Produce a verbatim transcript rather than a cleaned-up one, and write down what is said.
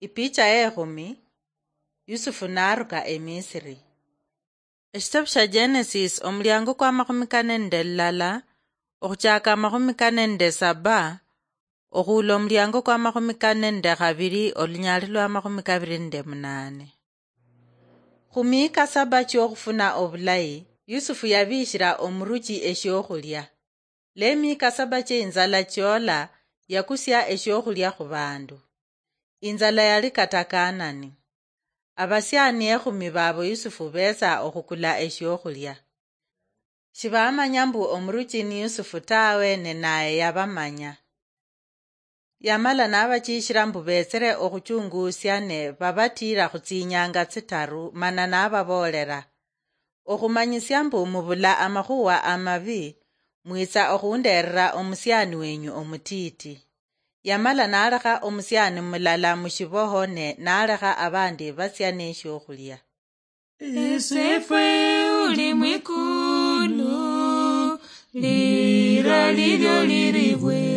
Ipicha ekhumi. Yusufu naruka emisiri. Eshitabu sha Genesis, omulyango kwa makhumi kane nende lulala, okhuchaka amakhumi kane nende saba, okhuula omulyango kwa makhumi kane nende khabiri, olunyali lwa makhumi kabiri nende munane. Khumiika saba chiokhufuna obulayi, Yusufu yabishira omuruchi eshiokhulia. Lemiika saba chie inzala chiola, yakusia eshiokhulia khubandu. Inzala yali kata Kanani. Abasiani ekhumi babo Yusufu betsa okhukula eshiokhulia. Shibamanya mbu omuruchi ni Yusufu tawe, ne naye yabamanya. Yamala nabachishira mbu betsere okhuchungusia, ne babatiira khutsinyanga tsitaru, mana nababoolera, okhumanyisia mbu mubula amakhuwa amabi, mwitsa okhunderera omusiani wenyu omutiti. Yamala nalekha omusiani mulala mushiboho, ne nalekha abandi batsia neshiokhulia. Esefwe uli mwikulu, lira lilyo liribwe.